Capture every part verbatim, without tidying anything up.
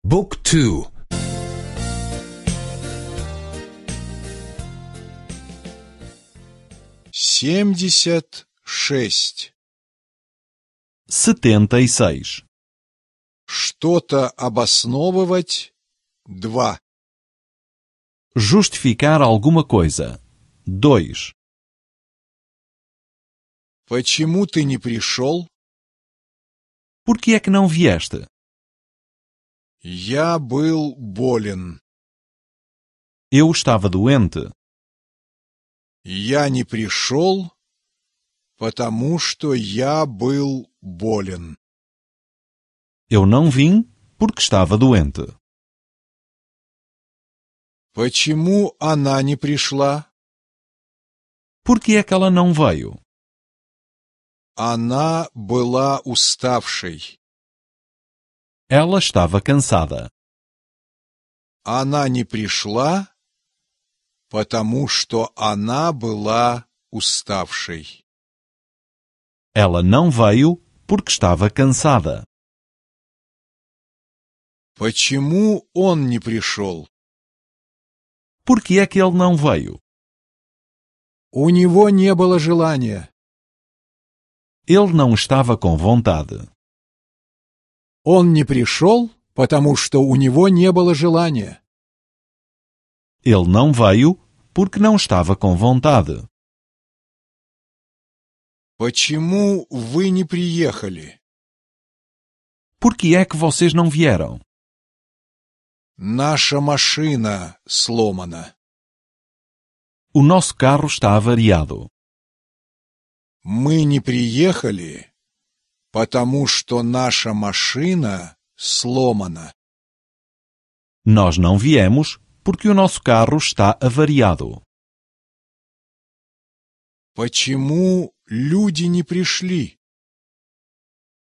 بوك تو семьдесят шесть. setenta e seis. Что-то обосновывать. Два. Justificar alguma coisa. dois. Почему ты не пришел? Por que é que não vieste? Я был болен. Eu estava doente. Я не пришел, потому что я был болен. Eu não vim porque estava doente. Почему она не пришла? Por que é que ela não veio? Она была уставшей. Ela estava cansada. Она не пришла, потому что она была уставшей. Ela não veio porque estava cansada. Почему он не пришел? Por que é que ele não veio? У него не было желания. Ele não estava com vontade. Он не пришел, потому что у него не было желания. Ele não veio porque não estava com vontade. Почему вы не приехали? Por que é que vocês não vieram? Наша машина сломана. O nosso carro está avariado. Мы не приехали, потому что наша машина сломана. Nós não viemos porque o nosso carro está avariado. Почему люди не пришли?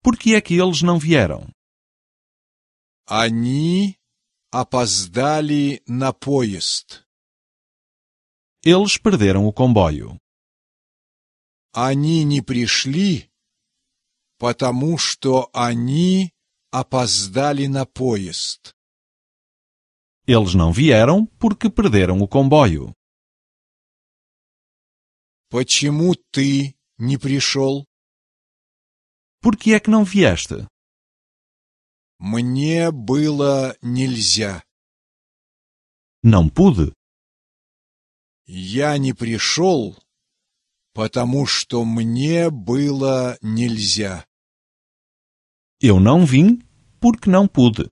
Por que é que eles não vieram? Они опоздали на поезд. Eles perderam o comboio. Они не пришли, потому что они опоздали на поезд. Eles não vieram porque perderam o comboio. Почему ты не пришел? Por que é que não vieste? Мне было нельзя. Não pude. Я не пришел, потому что мне было нельзя. Eu não vim porque não pude.